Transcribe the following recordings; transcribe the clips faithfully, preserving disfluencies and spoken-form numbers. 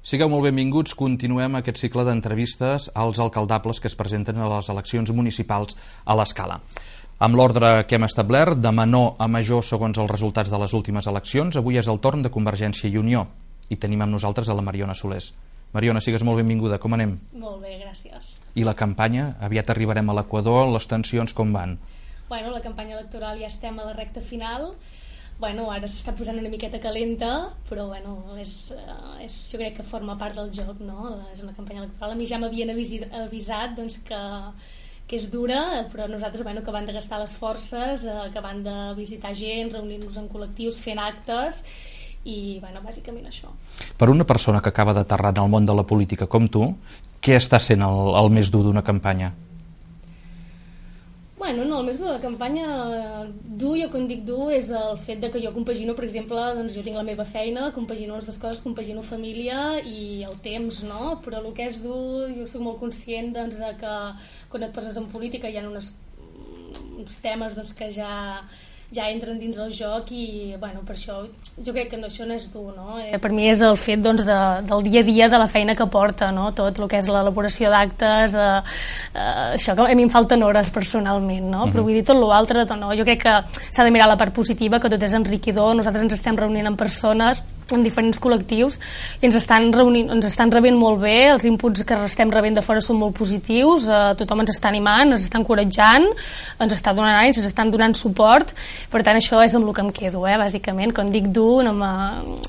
Sigueu molt benvinguts, continuem aquest cicle d'entrevistes als alcaldables que es presenten a les eleccions municipals a l'Escala. Amb l'ordre que hem establert, de menor a major segons els resultats de les últimes eleccions, avui és el torn de Convergència i Unió i tenim amb nosaltres a la Mariona Solés. Mariona, sigues molt benvinguda, com anem? Molt bé, gràcies. I la campanya? Aviat arribarem a l'Equador, les tensions com van? Bueno, la campanya electoral ja estem a la recta final. Bueno, ara s'està posant una miqueta calenta, però bueno, és, és, jo crec que forma part del joc, no? És una campanya electoral. A mi ja m'havien avisat doncs, que, que és dura, però nosaltres bueno, que van de gastar les forces, que van de visitar gent, reunir-nos en col·lectius, fent actes, i bueno, bàsicament això. Per una persona que acaba d'aterrar en el món de la política com tu, què està sent el, el més dur d'una campanya? Bueno, no, el més dur de la campanya, dur, jo quan dic dur, és el fet de que jo compagino, per exemple, doncs jo tinc la meva feina, compagino les dues coses, compagino família i el temps, no? Però el que és dur, jo soc molt conscient doncs, de que quan et poses en política hi ha unes, uns temes doncs, que ja... ja entren dins el joc i bueno, per això jo crec que no, això no és dur, no? Per mi és el fet doncs, de, del dia a dia de la feina que porta, no? Tot el que és l'elaboració d'actes, eh, eh, això que a mi em falten hores personalment, no? Uh-huh. Però vull dir tot l'altre, no? Jo crec que s'ha de mirar la part positiva, que tot és enriquidor, nosaltres ens estem reunint amb persones en diferents col·lectius i ens estan, reunint, ens estan rebent molt bé, els inputs que estem rebent de fora són molt positius, eh, tothom ens està animant, ens està encoratjant, ens està donant anys, ens estan donant suport, per tant això és amb el que em quedo, eh, bàsicament, quan dic dur no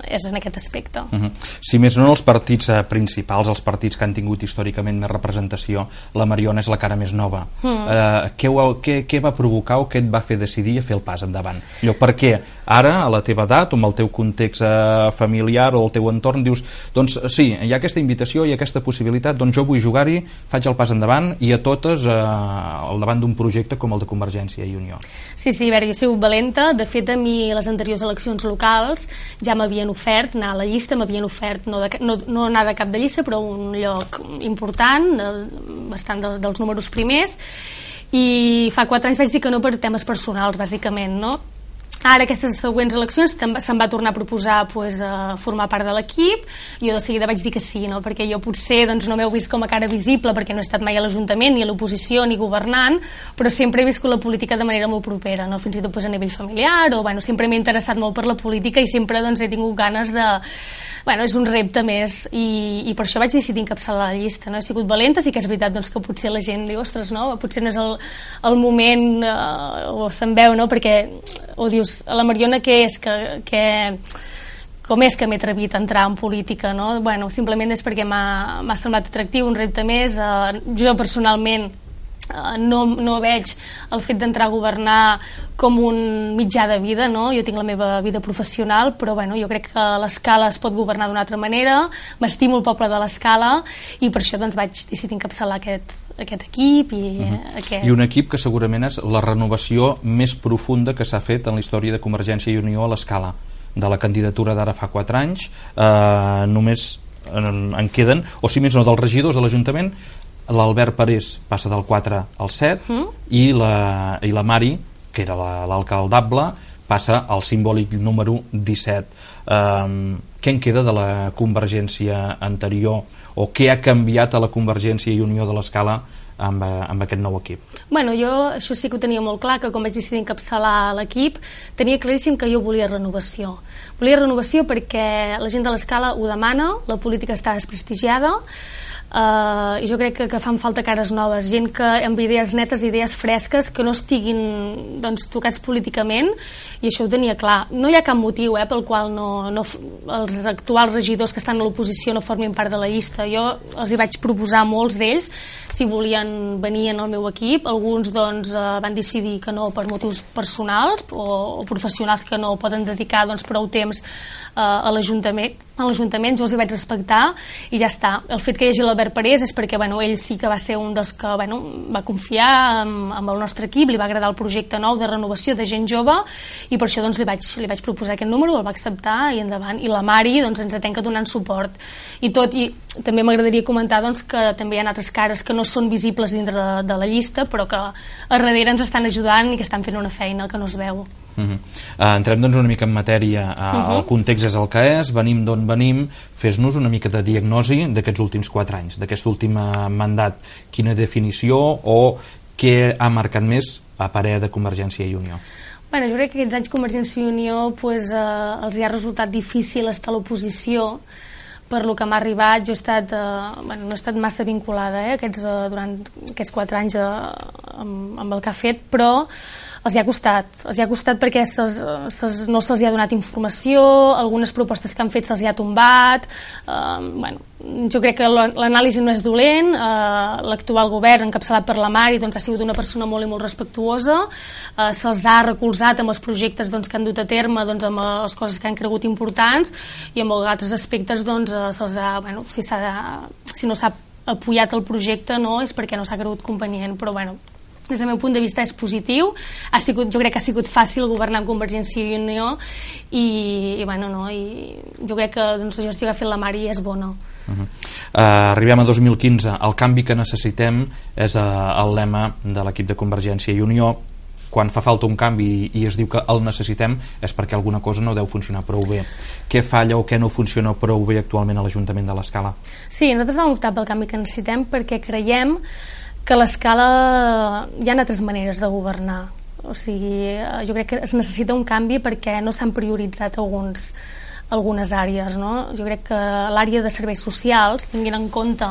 és en aquest aspecte. Uh-huh. Si més no els partits eh, principals, els partits que han tingut històricament més representació, la Mariona és la cara més nova. Mm. Eh, què, ho, què, què va provocar o què et va fer decidir a fer el pas endavant? Allò, per què ara, a la teva edat, o amb el teu context eh, familiar o el teu entorn, dius, doncs sí, hi ha aquesta invitació i aquesta possibilitat, doncs jo vull jugar-hi, faig el pas endavant i a totes eh, al davant d'un projecte com el de Convergència i Unió. Sí, sí, a veure, jo he sigut valenta, de fet a mi les anteriors eleccions locals ja m'havien ofert anar a la llista, m'havien ofert no, de, no, no anar de cap de llista, però un lloc important, bastant de, dels números primers, i fa quatre anys vaig dir que no per temes personals, bàsicament, no? Ara, aquestes següents eleccions, se'm va tornar a proposar pues, a formar part de l'equip i jo de seguida vaig dir que sí, no? Perquè jo potser doncs, no m'heu vist com a cara visible perquè no he estat mai a l'Ajuntament, ni a l'oposició, ni governant, però sempre he viscut la política de manera molt propera, no? Fins i tot pues, a nivell familiar, o bueno, sempre m'he interessat molt per la política i sempre doncs, he tingut ganes de... Bueno, és un repte més i, i per això vaig decidir encapçalar la llista, no? He sigut valenta, sí que és veritat doncs, que potser la gent diu, ostres, no? Potser no és el, el moment eh, o se'n veu, no? Perquè o dius, a la Mariona què és que, que com és que m'he atrevit a entrar en política, no? Bueno, simplement és perquè m'ha semblat atractiu, un repte més, eh, jo personalment No, no veig el fet d'entrar a governar com un mitjà de vida, no? Jo tinc la meva vida professional, però bueno, jo crec que l'Escala es pot governar d'una altra manera, m'estimo el poble de l'Escala i per això doncs, vaig decidir encapçalar aquest, aquest equip i, uh-huh. aquest... I un equip que segurament és la renovació més profunda que s'ha fet en la història de Convergència i Unió a l'Escala. De la candidatura d'ara fa quatre anys eh, només en, en queden, o si més no, dels regidors de l'Ajuntament, l'Albert Parés passa del quatre al set mm. i, la, i la Mari, que era l'alcaldable, passa al simbòlic número disset. Um, què en queda de la Convergència anterior o què ha canviat a la Convergència i Unió de l'Escala amb, amb aquest nou equip? Bueno, jo això sí que ho tenia molt clar, que quan vaig decidir encapçalar l'equip tenia claríssim que jo volia renovació. Volia renovació perquè la gent de l'Escala ho demana, la política està desprestigiada, Uh, i jo crec que, que fan falta cares noves, gent que amb idees netes, idees fresques, que no estiguin doncs, tocats políticament, i això ho tenia clar. No hi ha cap motiu eh, pel qual no, no, els actuals regidors que estan a l'oposició no formin part de la llista. Jo els hi vaig proposar a molts d'ells si volien venir en el meu equip, alguns doncs, uh, van decidir que no per motius personals o, o professionals que no poden dedicar doncs, prou temps uh, a l'Ajuntament, a l'Ajuntament jo els hi vaig respectar i ja està. El fet que hi hagi l'Albert Parés és perquè bueno, ell sí que va ser un dels que bueno, va confiar amb, amb el nostre equip, li va agradar el projecte nou de renovació de gent jove i per això doncs, li, vaig, li vaig proposar aquest número, el va acceptar i endavant. I la Mari doncs, ens atenca donant suport. I tot, i també m'agradaria comentar doncs, que també hi ha altres cares que no són visibles dintre de, de la llista, però que a darrere ens estan ajudant i que estan fent una feina que no es veu. Uh -huh. uh, entrem doncs una mica en matèria. uh, uh -huh. El context és el que és, venim d'on venim. Fes-nos una mica de diagnosi d'aquests últims quatre anys, d'aquest últim mandat. Quina definició o què ha marcat més a parer de Convergència i Unió? Bueno, jo crec que aquests anys Convergència i Unió pues, eh, els hi ha resultat difícil estar a l'oposició. Per lo que m'ha arribat, jo he estat, eh, bueno, no he estat massa vinculada eh, aquests, eh, durant aquests quatre anys eh, amb, amb el que ha fet, però els hi ha costat, els hi ha costat perquè se'ls, se'ls, no se'ls ha donat informació, algunes propostes que han fet se'ls hi ha tombat, eh, bueno, jo crec que l'anàlisi no és dolent, eh, l'actual govern encapçalat per la Mari doncs, ha sigut una persona molt i molt respectuosa, eh, se'ls ha recolzat amb els projectes doncs, que han dut a terme, doncs, amb les coses que han cregut importants i amb altres aspectes doncs, eh, se'ls ha, bueno, si, s'ha, si no s'ha apoyat el projecte no, és perquè no s'ha cregut convenient, però bueno, des del meu punt de vista és positiu, ha sigut, jo crec que ha sigut fàcil governar amb Convergència i Unió i, i, bueno, no, i jo crec que doncs, la gestió que ha fet la Mari és bona. Uh -huh. uh, arribem a dos mil quinze, el canvi que necessitem és uh, el lema de l'equip de Convergència i Unió. Quan fa falta un canvi i es diu que el necessitem és perquè alguna cosa no deu funcionar prou bé. Què falla o què no funciona prou bé actualment a l'Ajuntament de l'Escala? Sí, nosaltres vam optar pel canvi que necessitem perquè creiem que a l'Escala hi ha altres maneres de governar. O sigui, jo crec que es necessita un canvi perquè no s'han prioritzat alguns, algunes àrees, no? Jo crec que l'àrea de serveis socials, tinguin en compte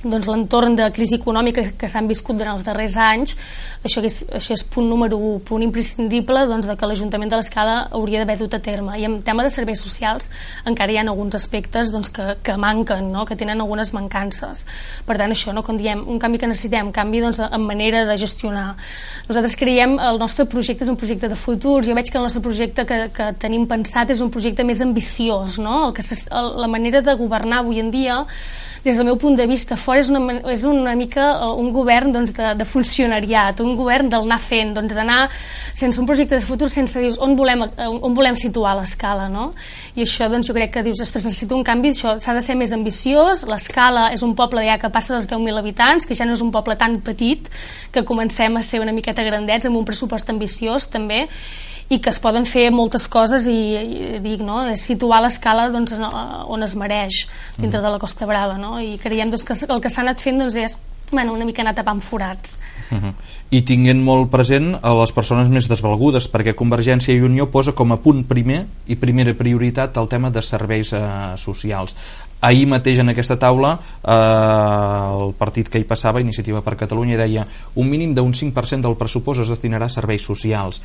doncs, l'entorn de crisi econòmica que s'han viscut durant els darrers anys, això és, això és punt número un, punt imprescindible doncs, de que l'Ajuntament de l'Escala hauria d'haver dut a terme. I en tema de serveis socials encara hi ha alguns aspectes doncs, que, que manquen, no? Que tenen algunes mancances. Per tant, això, no? Quan diem un canvi que necessitem, canvi doncs, en manera de gestionar. Nosaltres creiem el nostre projecte és un projecte de futur. Jo veig que el nostre projecte que, que tenim pensat és un projecte més ambiciós, no? El que la manera de governar avui en dia, des del meu punt de vista, fora és una, és una mica un govern doncs, de, de funcionariat, un govern del anar fent, doncs, d'anar sense un projecte de futur, sense dir on volem, on volem situar l'Escala, no? I això doncs, jo crec que dius, ostres, necessita un canvi, això s'ha de ser més ambiciós. L'Escala és un poble ja que passa dels deu mil habitants, que ja no és un poble tan petit, que comencem a ser una miqueta grandets amb un pressupost ambiciós també, i que es poden fer moltes coses i, i dic, no? És situar l'Escala doncs, on es mereix dintre de la Costa Brava, no? I creiem doncs, que el que s'ha anat fent doncs, és bueno, una mica anar tapant forats. Uh-huh. I tinguent molt present a les persones més desvalgudes, perquè Convergència i Unió posa com a punt primer i primera prioritat el tema de serveis eh, socials. Ahir mateix en aquesta taula eh, el partit que hi passava, Iniciativa per Catalunya, deia un mínim d'un cinc per cent del pressupost es destinarà a serveis socials.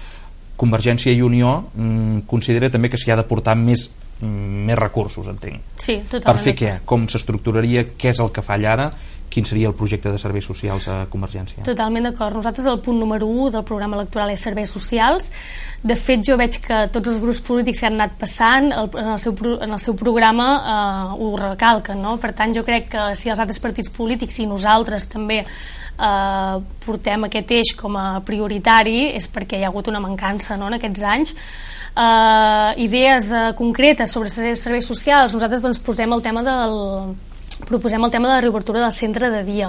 Convergència i Unió mm, considera també que s'hi ha d'aportar més, mm, més recursos, entenc. Sí, totalment. Per fer què? Com s'estructuraria? Què és el que falla ara? Quin seria el projecte de serveis socials a Convergència? Totalment d'acord. Nosaltres el punt número u del programa electoral és serveis socials. De fet, jo veig que tots els grups polítics que han anat passant el, en, el seu, en el seu programa eh, ho recalquen, no? Per tant, jo crec que si els altres partits polítics i nosaltres també eh, portem aquest eix com a prioritari és perquè hi ha hagut una mancança, no?, en aquests anys. Uh, idees uh, concretes sobre serveis socials. Nosaltres doncs, posem el tema del, proposem el tema de la reobertura del centre de dia.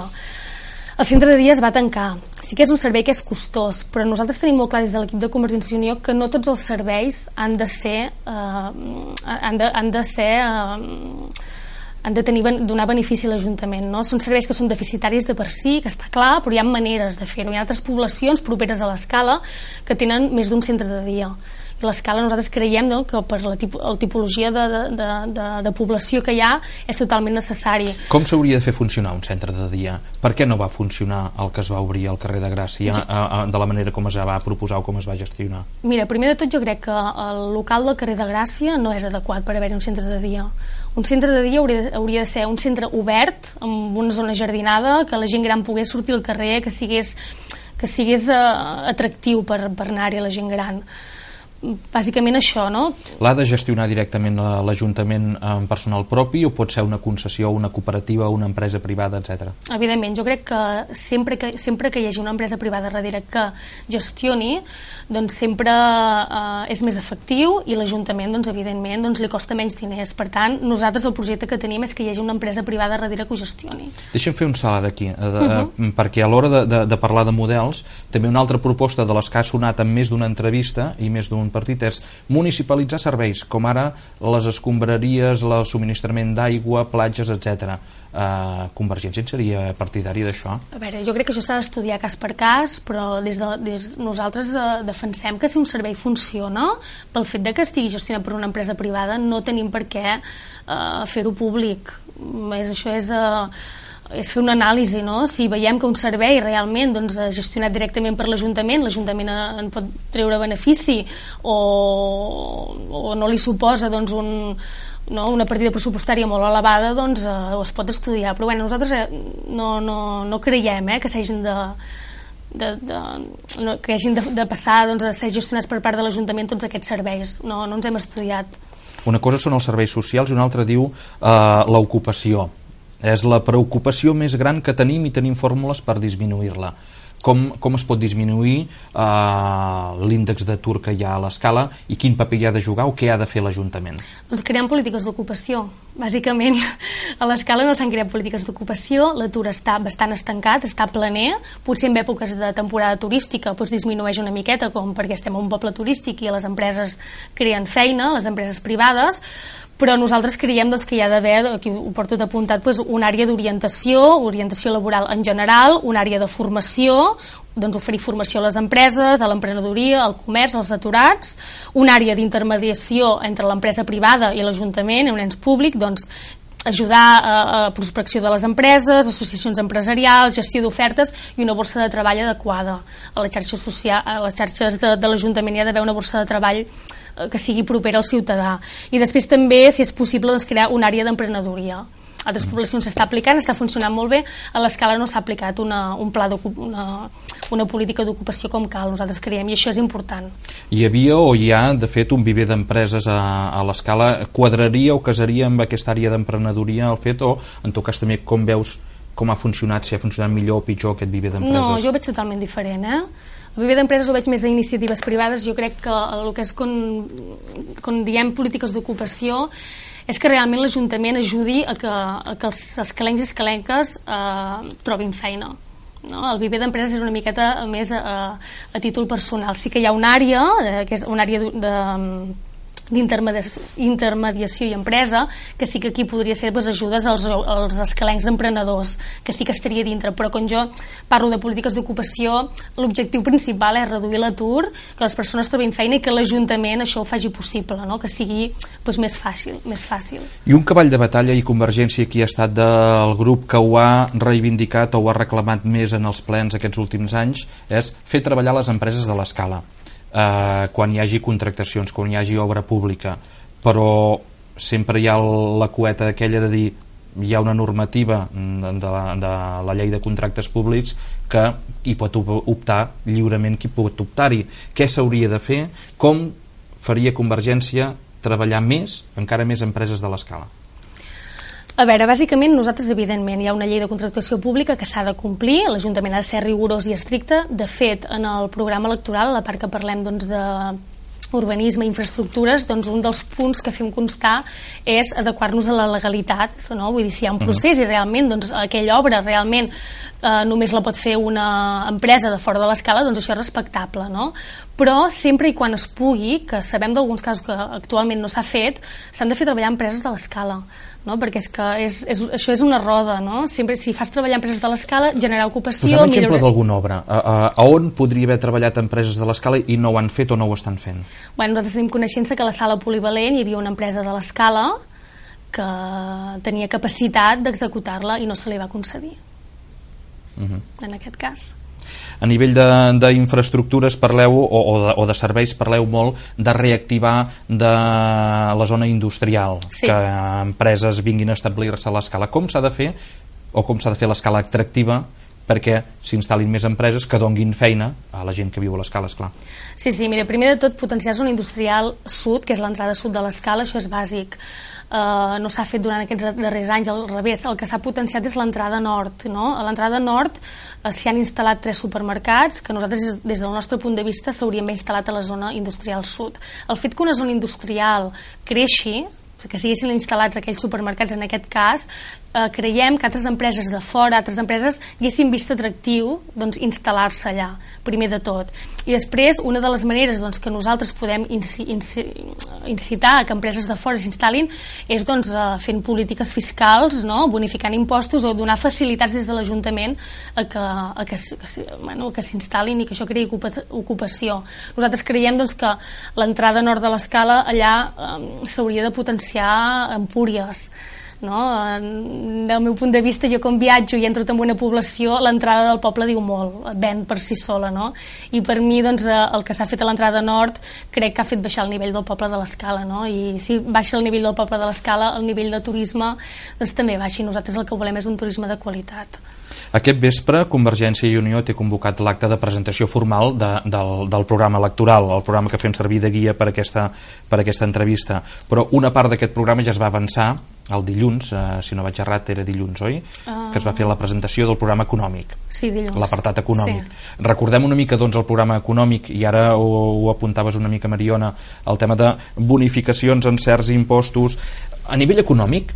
El centre de dia es va tancar. Sí que és un servei que és costós, però nosaltres tenim molt clar des de l'equip de Convergència i Unió que no tots els serveis han de ser uh, han, de, han de ser uh, han de tenir, donar benefici a l'Ajuntament, no? Són serveis que són deficitaris de per si, que està clar, però hi ha maneres de fer-ho. Hi ha altres poblacions properes a l'Escala que tenen més d'un centre de dia. I l'Escala nosaltres creiem, no?, que per la, tipo, la tipologia de, de, de, de població que hi ha és totalment necessari. Com s'hauria de fer funcionar un centre de dia? Per què no va funcionar el que es va obrir al carrer de Gràcia sí. a, a, de la manera com es va proposar o com es va gestionar? Mira, primer de tot jo crec que el local del carrer de Gràcia no és adequat per haver-hi un centre de dia. Un centre de dia hauria, hauria de ser un centre obert, amb una zona jardinada, que la gent gran pogués sortir al carrer, que sigués, que sigués uh, atractiu per, per anar-hi a la gent gran. bàsicament això, no? L'ha de gestionar directament l'Ajuntament amb personal propi o pot ser una concessió, una cooperativa, una empresa privada, etcètera? Evidentment, jo crec que sempre que, sempre que hi hagi una empresa privada darrere que gestioni, doncs sempre eh, és més efectiu i l'Ajuntament, doncs, evidentment, doncs, li costa menys diners. Per tant, nosaltres el projecte que tenim és que hi hagi una empresa privada darrere que ho gestioni. Deixa'm fer un salt aquí, de, uh -huh. perquè a l'hora de, de, de parlar de models, també una altra proposta de les que ha sonat en més d'una entrevista i més d'un partit és municipalitzar serveis, com ara les escombraries, el subministrament d'aigua, platges, etcètera. Uh, Convergència seria partidari d'això? A veure, jo crec que això s'ha d'estudiar cas per cas, però des de, des, nosaltres uh, defensem que si un servei funciona, pel fet de que estigui gestionat per una empresa privada, no tenim per què uh, fer-ho públic. És, això és... Uh, és fer una anàlisi, no? Si veiem que un servei realment doncs, gestionat directament per l'Ajuntament, l'Ajuntament en pot treure benefici o, o no li suposa doncs, un, no, una partida pressupostària molt elevada, doncs eh, es pot estudiar, però bé, nosaltres eh, no, no, no creiem eh, que s'hagin de De, de, no, que hagin de, de passar doncs, a ser gestionats per part de l'Ajuntament tots aquests serveis, no, no ens hem estudiat. Una cosa són els serveis socials i una altra diu eh, l'ocupació. És la preocupació més gran que tenim i tenim fórmules per disminuir-la. Com, com es pot disminuir eh, l'índex d'atur que hi ha a l'Escala i quin paper hi ha de jugar o què ha de fer l'Ajuntament? Doncs creant polítiques d'ocupació. Bàsicament, a l'Escala no s'han creat polítiques d'ocupació, l'atur està bastant estancat, està planer, potser en èpoques de temporada turística doncs disminueix una miqueta, com perquè estem a un poble turístic i les empreses creen feina, les empreses privades, però nosaltres creiem doncs, que hi ha d'haver, aquí ho porto apuntat, doncs, una àrea d'orientació, orientació laboral en general, una àrea de formació, doncs, oferir formació a les empreses, a l'emprenedoria, al comerç, als aturats, una àrea d'intermediació entre l'empresa privada i l'Ajuntament, un ens públic, doncs, ajudar a, a prospecció de les empreses, associacions empresarials, gestió d'ofertes i una borsa de treball adequada. A les xarxes, social, a les xarxes de, de l'Ajuntament hi ha d'haver una borsa de treball que sigui propera al ciutadà. I després també, si és possible, doncs, crear una àrea d'emprenedoria. A altres poblacions s'està aplicant, està funcionant molt bé, a l'Escala no s'ha aplicat una, un pla una, una política d'ocupació com cal, nosaltres creiem, i això és important. Hi havia o hi ha, de fet, un viver d'empreses a, a l'Escala. Quadraria o casaria amb aquesta àrea d'emprenedoria el fet, o en tot cas també com veus com ha funcionat, si ha funcionat millor o pitjor aquest viver d'empreses? No, jo ho veig totalment diferent, eh? El viver d'empreses ho veig més a iniciatives privades. Jo crec que el que és quan, quan diem polítiques d'ocupació és que realment l'Ajuntament ajudi a que, a que els escalencs i escalenques eh, trobin feina. No? El viver d'empreses és una miqueta més a, a títol personal. Sí que hi ha una àrea, eh, que és una àrea de, de d'intermediació i empresa, que sí que aquí podria ser doncs, ajudes als, als escalencs emprenedors, que sí que estaria dintre, però quan jo parlo de polítiques d'ocupació, l'objectiu principal és reduir l'atur, que les persones trobin feina i que l'Ajuntament això ho faci possible, no? Que sigui doncs, més fàcil, més fàcil. I un cavall de batalla, i Convergència aquí ha estat del grup que ho ha reivindicat o ho ha reclamat més en els plens aquests últims anys, és fer treballar les empreses de l'Escala. Uh, quan hi hagi contractacions, quan hi hagi obra pública, però sempre hi ha la cueta aquella de dir hi ha una normativa de la, de la llei de contractes públics que hi pot optar lliurement qui pot optar-hi. Què s'hauria de fer? Com faria Convergència treballar més, encara més empreses de l'Escala? A veure, bàsicament nosaltres evidentment hi ha una llei de contractació pública que s'ha de complir, l'Ajuntament ha de ser rigorós i estricte. De fet, en el programa electoral, a la part que parlem doncs, de urbanisme i infraestructures, doncs un dels punts que fem constar és adequar-nos a la legalitat, no? Vull dir, si hi ha un procés i realment doncs, aquella obra realment eh, només la pot fer una empresa de fora de l'Escala, doncs això és respectable, no? Però sempre i quan es pugui, que sabem d'alguns casos que actualment no s'ha fet, s'han de fer treballar empreses de l'Escala, no? Perquè és que és, és, això és una roda, no? Sempre, si fas treballar empreses de l'Escala, generar ocupació... Posem un exemple d'alguna obra. A, a, a on podria haver treballat empreses de l'Escala i no ho han fet o no ho estan fent? Bueno, nosaltres tenim coneixença que a la sala polivalent hi havia una empresa de l'Escala que tenia capacitat d'executar-la i no se li va concedir. Uh-huh. En aquest cas. A nivell d'infraestructures parleu, o, o, de, o de serveis, parleu molt de reactivar de la zona industrial, sí. Que empreses vinguin a establir-se a l'Escala. Com s'ha de fer, o com s'ha de fer l'Escala atractiva perquè s'instal·lin més empreses que donguin feina a la gent que viu a l'Escala, esclar. Sí, sí, mira, primer de tot potenciar zona industrial sud, que és l'entrada sud de l'Escala, això és bàsic. Uh, no s'ha fet durant aquests darrers anys, al revés, el que s'ha potenciat és l'entrada nord, no? A l'entrada nord uh, s'hi han instal·lat tres supermercats que nosaltres des del nostre punt de vista s'haurien d'haver instal·lat a la zona industrial sud. El fet que una zona industrial creixi, que siguessin instal·lats aquells supermercats en aquest cas, eh, creiem que altres empreses de fora, altres empreses haguessin vist atractiu doncs, instal·lar-se allà, primer de tot. I després, una de les maneres doncs, que nosaltres podem inci inci incitar a que empreses de fora s'instal·lin és doncs, eh, fent polítiques fiscals, no? Bonificant impostos o donar facilitats des de l'Ajuntament a que, a que, que, bueno, que s'instal·lin i que això creï ocupació. Nosaltres creiem doncs, que l'entrada nord de l'Escala allà eh, s'hauria de potenciar a Empúries, no? Del meu punt de vista, jo com viatjo i entro en una població, l'entrada del poble diu molt, et ven per si sola, no? I per mi doncs, el que s'ha fet a l'entrada nord crec que ha fet baixar el nivell del poble de l'Escala, no? I si baixa el nivell del poble de l'Escala, el nivell de turisme doncs, també baixa, i nosaltres el que volem és un turisme de qualitat. Aquest vespre, Convergència i Unió té convocat l'acte de presentació formal de, del, del programa electoral, el programa que fem servir de guia per aquesta, per aquesta entrevista. Però una part d'aquest programa ja es va avançar el dilluns, eh, si no vaig errat era dilluns, oi? Uh... Que es va fer la presentació del programa econòmic. Sí, dilluns. L'apartat econòmic. Sí. Recordem una mica doncs, el programa econòmic, i ara ho, ho apuntaves una mica, Mariona, el tema de bonificacions en certs impostos. A nivell econòmic,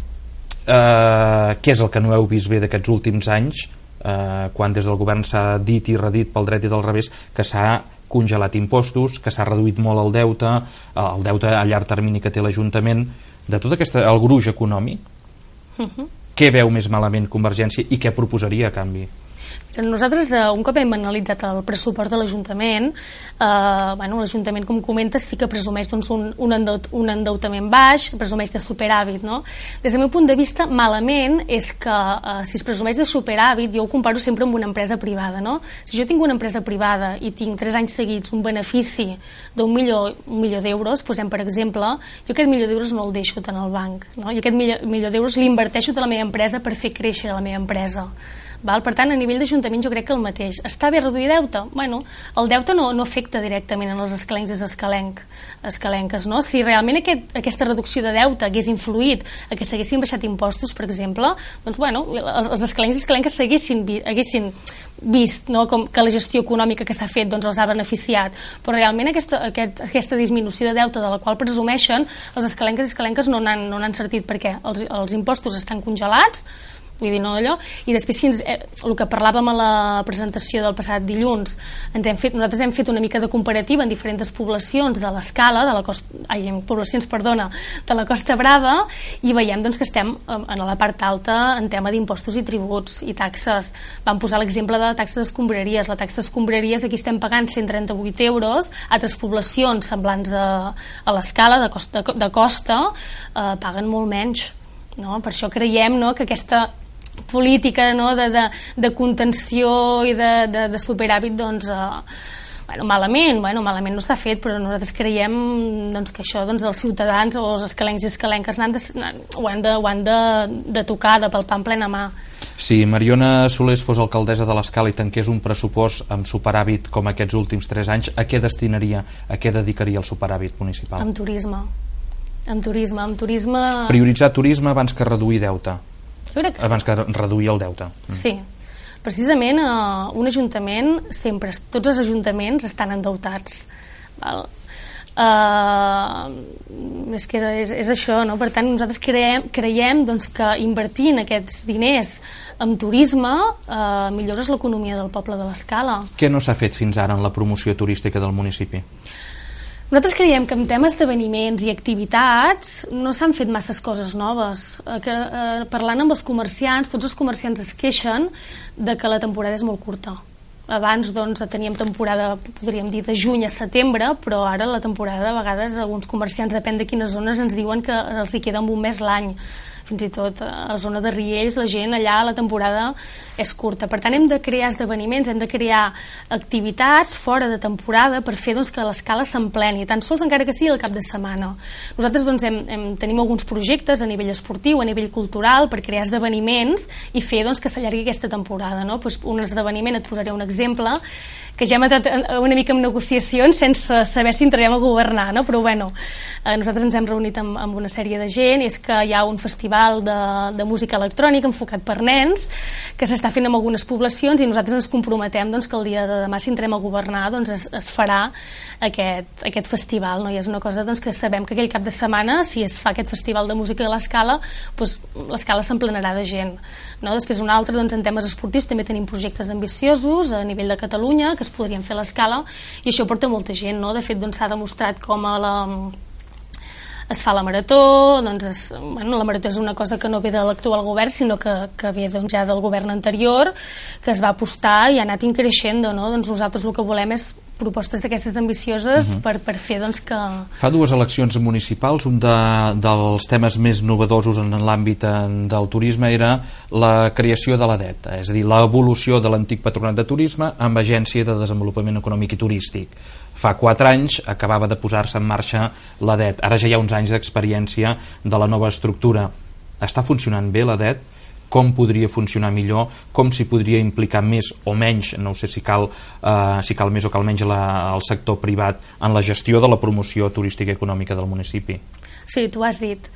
eh, què és el que no heu vist bé d'aquests últims anys, eh, quan des del govern s'ha dit i redit pel dret i del revés que s'ha congelat impostos, que s'ha reduït molt el deute, el deute a llarg termini que té l'Ajuntament, de tot aquest, el gruix econòmic, uh-huh. Què veu més malament Convergència i què proposaria a canvi? Nosaltres, un cop hem analitzat el pressupost de l'Ajuntament, eh, bueno, l'Ajuntament, com comentes, sí que presumeix doncs, un, un, endeut, un endeutament baix, presumeix de superàvit, no? Des del meu punt de vista, malament és que eh, si es presumeix de superàvit, jo ho comparo sempre amb una empresa privada, no? Si jo tinc una empresa privada i tinc tres anys seguits un benefici d'un milió, un milió d'euros, posem per exemple, jo aquest milió d'euros no el deixo tant al banc, no? Jo aquest milió, milió d'euros l'inverteixo de la meva empresa per fer créixer la meva empresa. Val? Per tant, a nivell d'Ajuntament jo crec que el mateix. Està bé reduir deute? Bueno, el deute no, no afecta directament en els escalencs i escalenc, escalenques, no? Si realment aquest, aquesta reducció de deute hagués influït a que s'haguessin baixat impostos, per exemple, doncs bueno, els, els escalencs i escalenques s'haguessin haguessin vist, no? Com que la gestió econòmica que s'ha fet doncs els ha beneficiat, però realment aquesta, aquest, aquesta disminució de deute de la qual presumeixen, els escalenques i escalenques no n'han no n'han sortit, perquè els, els impostos estan congelats, vull dir, no allò, i després si ens, eh, el que parlàvem a la presentació del passat dilluns, ens hem fet, nosaltres hem fet una mica de comparativa en diferents poblacions de l'Escala, de la costa, ai, poblacions, perdona, de la Costa Brava, i veiem doncs, que estem en la part alta en tema d'impostos i tributs i taxes. Vam posar l'exemple de la taxa d'escombraries. La taxa d'escombraries aquí estem pagant cent trenta-vuit euros, altres poblacions semblants a, a l'Escala de costa, de costa eh, paguen molt menys, no? Per això creiem, no, que aquesta política, no, de, de, de contenció i de, de, de superàvit doncs, eh, bueno, malament, bueno, malament no s'ha fet, però nosaltres creiem doncs, que això doncs, els ciutadans o els escalencs i escalenques han de, ho han, de, ho han de, de tocar, de palpar en plena mà. Si Mariona Solés fos alcaldessa de l'Escala i tanqués un pressupost amb superàvit com aquests últims tres anys, a què destinaria, a què dedicaria el superàvit municipal? Amb turisme. Amb turisme, amb turisme... Prioritzar turisme abans que reduir deute. Jo crec que abans sí. que reduir el deute. Sí. Precisament eh, un ajuntament, sempre, tots els ajuntaments estan endeutats. Val? Uh, és que és, és això, no? Per tant, nosaltres creiem, creiem doncs, que invertint aquests diners en turisme uh, millores l'economia del poble de l'Escala. Què no s'ha fet fins ara en la promoció turística del municipi? Nosaltres creiem que en temes d'esdeveniments i activitats no s'han fet masses coses noves. Eh, que, eh, parlant amb els comerciants, tots els comerciants es queixen de que la temporada és molt curta. Abans doncs, teníem temporada, podríem dir, de juny a setembre, però ara la temporada, a vegades, alguns comerciants, depèn de quines zones, ens diuen que els hi queda un mes l'any. fins i tot a la zona de Riells, la gent allà la temporada és curta. Per tant, hem de crear esdeveniments, hem de crear activitats fora de temporada per fer doncs, que l'escala s'empleni, tan sols encara que sigui al cap de setmana. Nosaltres doncs, hem, hem, tenim alguns projectes a nivell esportiu, a nivell cultural, per crear esdeveniments i fer doncs, que s'allargui aquesta temporada. No? Pues, un esdeveniment, et posaré un exemple, que ja hem entrat una mica en negociacions sense saber si entrarem a governar, no? Però bueno, eh, nosaltres ens hem reunit amb, amb una sèrie de gent, i és que hi ha un festival de, de música electrònica enfocat per nens que s'està fent en algunes poblacions, i nosaltres ens comprometem doncs, que el dia de demà, si entrem a governar, doncs es, es farà aquest, aquest festival, no? I és una cosa doncs, que sabem que aquell cap de setmana, si es fa aquest festival de música a l'Escala, doncs, l'Escala s'emplenarà de gent, no? Després un altre, doncs, en temes esportius també tenim projectes ambiciosos a nivell de Catalunya que es podrien fer a l'Escala, i això porta molta gent, no? De fet, doncs, s'ha demostrat com a la es fa la marató, doncs es, bueno, la marató és una cosa que no ve de l'actual govern, sinó que, que ve doncs, ja del govern anterior, que es va apostar i ha anat increixent, no? Doncs nosaltres el que volem és propostes d'aquestes ambicioses uh-huh. per, per fer doncs, que... Fa dues eleccions municipals, un de, dels temes més novedosos en l'àmbit del turisme era la creació de l'A D E T, és a dir, l'evolució de l'antic Patronat de Turisme amb Agència de Desenvolupament Econòmic i Turístic. Fa quatre anys acabava de posar-se en marxa l'A D E T, ara ja hi ha uns anys d'experiència de la nova estructura. Està funcionant bé l'A D E T? Com podria funcionar millor, com s'hi podria implicar més o menys, no sé si cal, eh, si cal més o cal menys la, el sector privat en la gestió de la promoció turística i econòmica del municipi. Sí, tu has dit.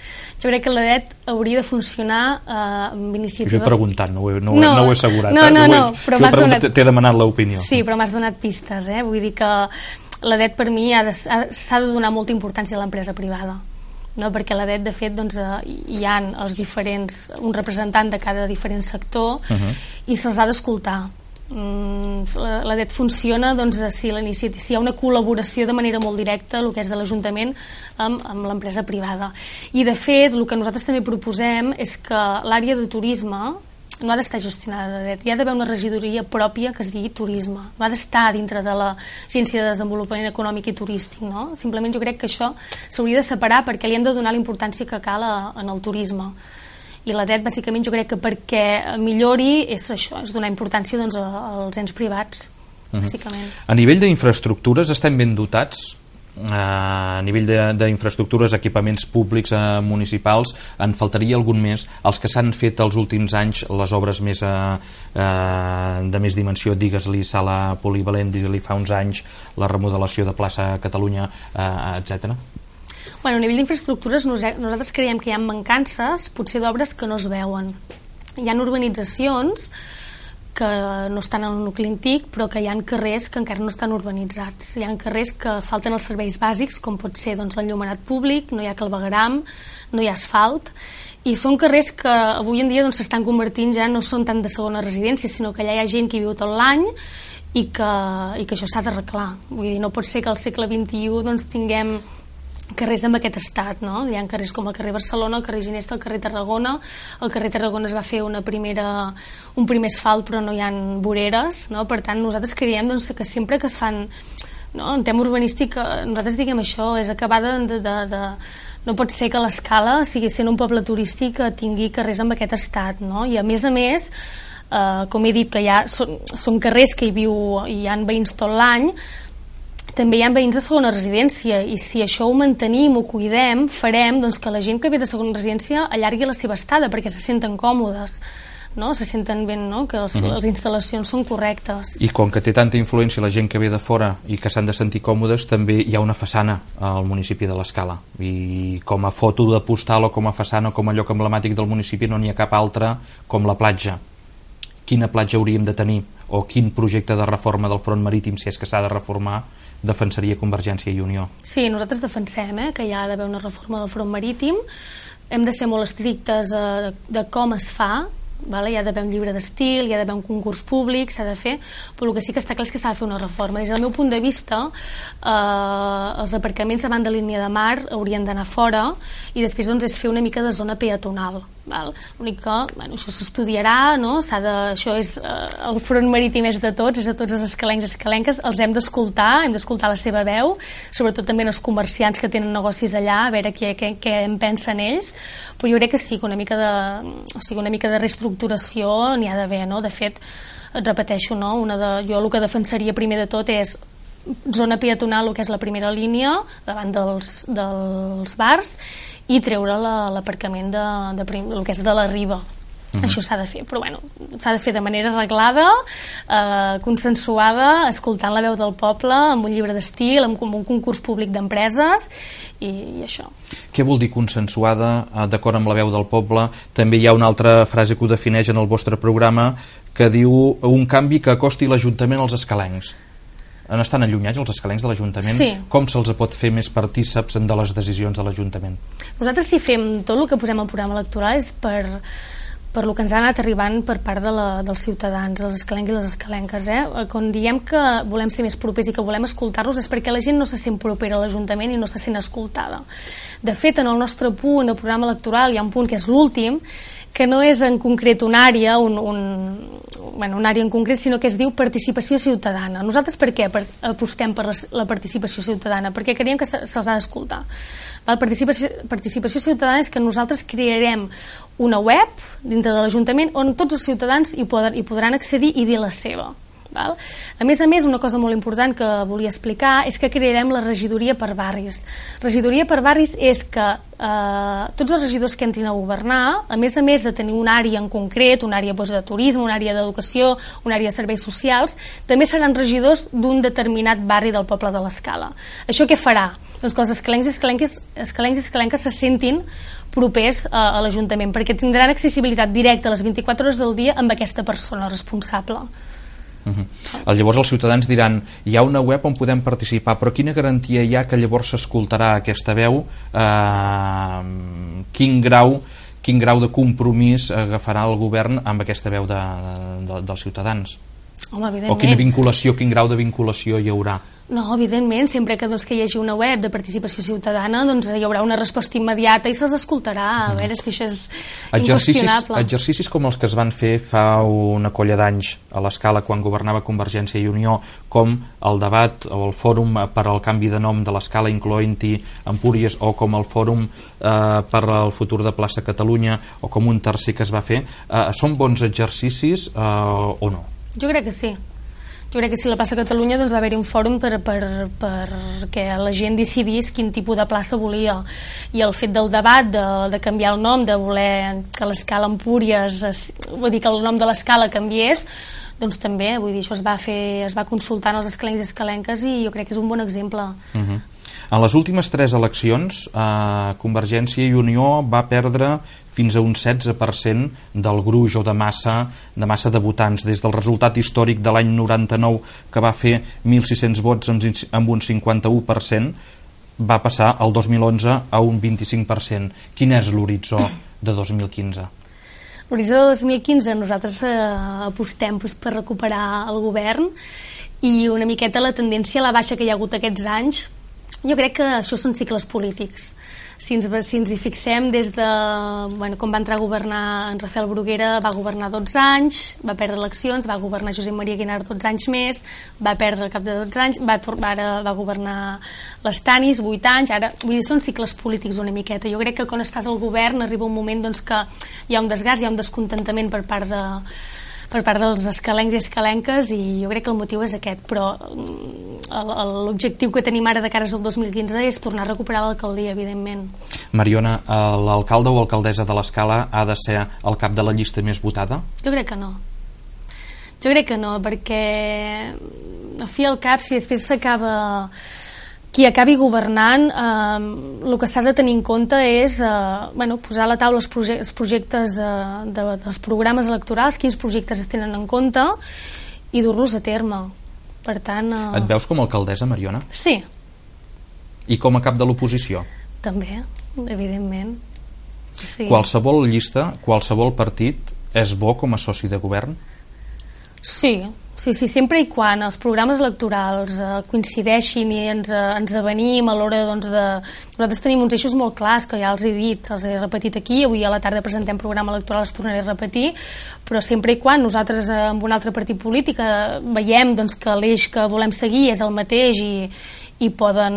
Jo crec que l'A D E T hauria de funcionar eh, amb iniciativa... Jo he preguntat, no ho he, no, no, no ho he assegurat. No, no, eh? no, però m'has donat... T'he demanat l'opinió. Sí, però m'has donat pistes, eh? Vull dir que l'A D E T per mi s'ha de donar molta importància a l'empresa privada. No, perquè l'A D E T, de fet, doncs, hi ha els diferents, un representant de cada diferent sector uh-huh. i se'ls ha d'escoltar. Mm, l'A D E T funciona doncs, si, si hi ha una col·laboració de manera molt directa, el que és de l'Ajuntament, amb, amb l'empresa privada. I, de fet, el que nosaltres també proposem és que l'àrea de turisme no ha d'estar gestionada de D E T, hi ha d'haver una regidoria pròpia que es digui turisme, no ha d'estar dintre de l'Agència de Desenvolupament Econòmic i Turístic, no? Simplement jo crec que això s'hauria de separar perquè li hem de donar la importància que cal a, en el turisme, i la D E T bàsicament jo crec que perquè millori és això, és donar importància doncs, als ens privats, bàsicament. Uh-huh. A nivell d'infraestructures estem ben dotats? A nivell d'infraestructures, equipaments públics eh, municipals, en faltaria algun més? Els que s'han fet els últims anys, les obres més eh, eh, de més dimensió, digues-li sala polivalent, digues-li fa uns anys la remodelació de plaça Catalunya, eh, etcètera. Bueno, a nivell d'infraestructures nosaltres creiem que hi ha mancances potser d'obres que no es veuen. Hi ha urbanitzacions que no estan en el nucli antic, però que hi ha carrers que encara no estan urbanitzats. Hi ha carrers que falten els serveis bàsics, com pot ser doncs, l'enllumenat públic, no hi ha clavegueram, no hi ha asfalt, i són carrers que avui en dia s'estan doncs, convertint ja no són tant de segona residència, sinó que allà hi ha gent que hi viu tot l'any i que, i que això s'ha d'arreglar. Vull dir, no pot ser que al segle vint-i-u doncs, tinguem carrers amb aquest estat, no? Hi ha carrers com el carrer Barcelona, el carrer Ginesta, el carrer Tarragona. El carrer Tarragona es va fer una primera, un primer asfalt, però no hi ha voreres, no? Per tant, nosaltres creiem doncs, que sempre que es fan, no? En tema urbanístic, nosaltres diguem això, és acabar de, de, de, de no pot ser que l'Escala sigui sent un poble turístic que tingui carrers amb aquest estat, no? I a més a més, eh, com he dit, que ja són, són carrers que hi viu i hi ha veïns tot l'any, també hi ha veïns de segona residència, i si això ho mantenim, ho cuidem, farem doncs, que la gent que ve de segona residència allargui la seva estada perquè se senten còmodes, no? Se senten ben, no? Que els, uh-huh. les instal·lacions són correctes. I com que té tanta influència la gent que ve de fora i que s'han de sentir còmodes, també hi ha una façana al municipi de l'Escala, i com a foto de postal o com a façana o com a lloc emblemàtic del municipi no n'hi ha cap altra com la platja. Quina platja hauríem de tenir, o quin projecte de reforma del front marítim, si és que s'ha de reformar, defensaria Convergència i Unió? Sí, nosaltres defensem eh, que hi ha d'haver una reforma del front marítim. Hem de ser molt estrictes eh, de, de com es fa, vale? Hi ha d'haver un llibre d'estil, hi ha d'haver un concurs públic, s'ha de fer, però el que sí que està clar és que s'ha de fer una reforma. Des del meu punt de vista, eh, els aparcaments davant de línia de mar haurien d'anar fora, i després doncs, és fer una mica de zona peatonal. L'únic que, bueno, això s'estudiarà, no? S'ha de, això és, eh, el front marítim és de tots, és de tots els escalencs i escalenques, els hem d'escoltar, hem d'escoltar la seva veu, sobretot també els comerciants que tenen negocis allà, a veure què, què, què en pensen ells, però jo crec que sí, que una mica de, o sigui, una mica de reestructuració n'hi ha d'haver, no? De fet, et repeteixo, no? Una de, jo el que defensaria primer de tot és zona peatonal, el que és la primera línia davant dels, dels bars, i treure l'aparcament de, de prim, el que és de la riba. Mm-hmm. Això s'ha de fer, però bueno, s'ha de fer de manera arreglada, eh, consensuada, escoltant la veu del poble, amb un llibre d'estil, amb un concurs públic d'empreses i, i això. Què vol dir consensuada, d'acord amb la veu del poble? També hi ha una altra frase que ho defineix en el vostre programa, que diu un canvi que acosti l'Ajuntament als escalencs. Estan allunyats els escalencs de l'Ajuntament? Sí. Com se'ls pot fer més partíceps de les decisions de l'Ajuntament? Nosaltres, si fem tot el que posem al programa electoral, és per, per el que ens ha anat arribant per part de la, dels ciutadans, els escalencs i les escalenques. Eh? Quan diem que volem ser més propers i que volem escoltar-los és perquè la gent no se sent propera a l'Ajuntament i no se sent escoltada. De fet, en el nostre punt del programa electoral hi ha un punt que és l'últim, que no és en concret una àrea, un, un, bueno, una àrea en concret, sinó que es diu participació ciutadana. Nosaltres per què apostem per la participació ciutadana? Perquè creiem que se'ls ha d'escoltar. Participació, participació ciutadana és que nosaltres crearem una web dintre de l'Ajuntament on tots els ciutadans hi, poden, hi podran accedir i dir la seva. Val? A més a més, una cosa molt important que volia explicar és que crearem la regidoria per barris. Regidoria per barris és que eh, tots els regidors que entrin a governar, a més a més de tenir una àrea en concret, una àrea doncs, de turisme, una àrea d'educació, una àrea de serveis socials, també seran regidors d'un determinat barri del poble de l'Escala. Això què farà? Doncs que els escalencs i escalenques, escalencs i escalenques se sentin propers a, a l'Ajuntament, perquè tindran accessibilitat directa a les vint-i-quatre hores del dia amb aquesta persona responsable. Uh-huh. Llavors els ciutadans diran hi ha una web on podem participar, però quina garantia hi ha que llavors s'escoltarà aquesta veu? Eh, quin grau quin grau de compromís agafarà el govern amb aquesta veu de, de, dels ciutadans? Home, o quina vinculació, quin grau de vinculació hi haurà? No, evidentment, sempre que, doncs, que hi hagi una web de participació ciutadana, doncs hi haurà una resposta immediata i se'ls escoltarà. A veure, és que això és inqüestionable. Exercicis com els que es van fer fa una colla d'anys a l'Escala quan governava Convergència i Unió, com el debat o el fòrum per al canvi de nom de l'Escala incloent-hi Empúries, o com el fòrum eh, per al futur de Plaça Catalunya, o com un tercer que es va fer, eh, són bons exercicis eh, o no? Jo crec que sí. Jo crec que si la plaça Catalunya doncs, va haver-hi un fòrum per, per, per que la gent decidís quin tipus de plaça volia, i el fet del debat de, de canviar el nom, de voler que l'Escala Empúries, vull dir que el nom de l'Escala canviés, doncs també, vull dir, això es va fer, es va consultar als escalencs i escalenques i jo crec que és un bon exemple. Uh-huh. En les últimes tres eleccions eh, Convergència i Unió va perdre fins a un setze per cent del gruix o de massa de massa de votants, des del resultat històric de l'any noranta-nou que va fer mil sis-cents vots amb un cinquanta-u per cent, va passar el dos mil onze a un vint-i-cinc per cent. Quin és l'horitzó de dos mil quinze? L'horitzó de dos mil quinze nosaltres eh, apostem doncs, per recuperar el govern, i una miqueta la tendència a la baixa que hi ha hagut aquests anys. Jo crec que això són cicles polítics. Si ens, si ens hi fixem des de bueno, com va entrar a governar en Rafael Bruguera, va governar dotze anys, va perdre eleccions, va governar Josep Maria Guinart dotze anys més, va perdre al cap de dotze anys, va, ara va governar les Tanis vuit anys, ara, vull dir, són cicles polítics una miqueta. Jo crec que quan estàs al govern arriba un moment doncs, que hi ha un desgast, hi ha un descontentament per part de per part dels escalencs i escalenques, i jo crec que el motiu és aquest, però l'objectiu que tenim ara de cara al dos mil quinze és tornar a recuperar l'alcaldia, evidentment. Mariona, l'alcalde o alcaldessa de l'Escala ha de ser el cap de la llista més votada? Jo crec que no. Jo crec que no, perquè a fi al cap, si després s'acaba qui acabi governant, eh, el que s'ha de tenir en compte és eh, bueno, posar a la taula els, proje els projectes de, de, dels programes electorals, quins projectes es tenen en compte, i dur-los a terme. Per tant, eh... Et veus com a alcaldessa, Mariona? Sí. I com a cap de l'oposició? També, evidentment. Sí. Qualsevol llista, qualsevol partit és bo com a soci de govern? Sí, Sí, sí, sempre i quan els programes electorals eh, coincideixin i ens, eh, ens avenim a l'hora doncs, de... Nosaltres tenim uns eixos molt clars, que ja els he dit, els he repetit aquí, avui a la tarda presentem programa electoral, els tornaré a repetir, però sempre i quan nosaltres eh, amb un altre partit polític eh, veiem doncs, que l'eix que volem seguir és el mateix i, i poden,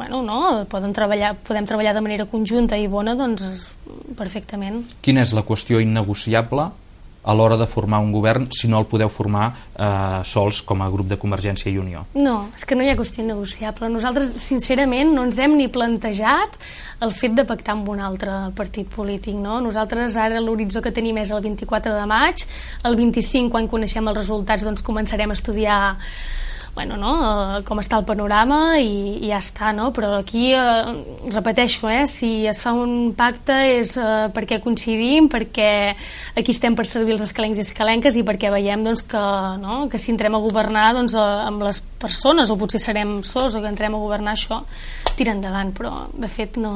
bueno, no, poden treballar, podem treballar de manera conjunta i bona, doncs perfectament. Quina és la qüestió innegociable a l'hora de formar un govern si no el podeu formar eh, sols com a grup de Convergència i Unió? No, és que no hi ha qüestió negociable. Nosaltres, sincerament, no ens hem ni plantejat el fet de pactar amb un altre partit polític, no? Nosaltres ara l'horitzó que tenim és el vint-i-quatre de maig, el vint-i-cinc, quan coneixem els resultats, doncs començarem a estudiar bueno, no, com està el panorama i, i ja està, no? Però aquí eh, repeteixo, eh, si es fa un pacte és eh, perquè coincidim, perquè aquí estem per servir els escalencs i escalenques i perquè veiem doncs, que, no, que si entrem a governar doncs, eh, amb les persones, o potser serem sols o que entrem a governar, això tira endavant, però de fet no,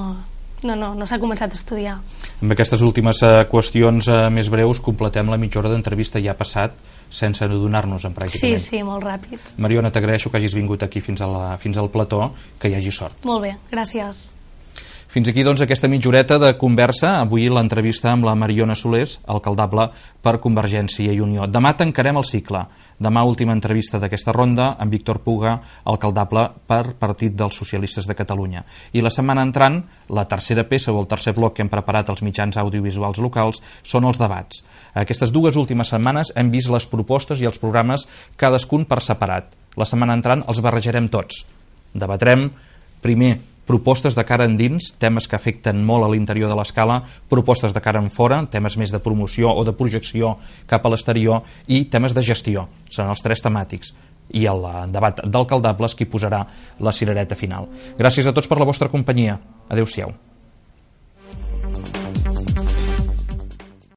no, no, no s'ha començat a estudiar. Amb aquestes últimes eh, qüestions eh, més breus completem la mitja hora d'entrevista, ja ha passat sense adonar-nos-en pràcticament. Sí, sí, molt ràpid. Mariona, t'agraeixo que hagis vingut aquí fins, a la, fins al plató, que hi hagi sort. Molt bé, gràcies. Fins aquí, doncs, aquesta mitja horeta de conversa. Avui l'entrevista amb la Mariona Solés, alcaldable per Convergència i Unió. Demà tancarem el cicle. Demà, última entrevista d'aquesta ronda amb Víctor Puga, alcaldable per Partit dels Socialistes de Catalunya. I la setmana entrant, la tercera peça o el tercer bloc que hem preparat als mitjans audiovisuals locals són els debats. Aquestes dues últimes setmanes hem vist les propostes i els programes cadascun per separat. La setmana entrant els barrejarem tots. Debatrem, primer, propostes de cara endins, temes que afecten molt a l'interior de l'escala, propostes de cara en fora, temes més de promoció o de projecció cap a l'exterior, i temes de gestió. Són els tres temàtics. I el debat d'alcaldables qui posarà la cirereta final. Gràcies a tots per la vostra companyia. Adéu-siau.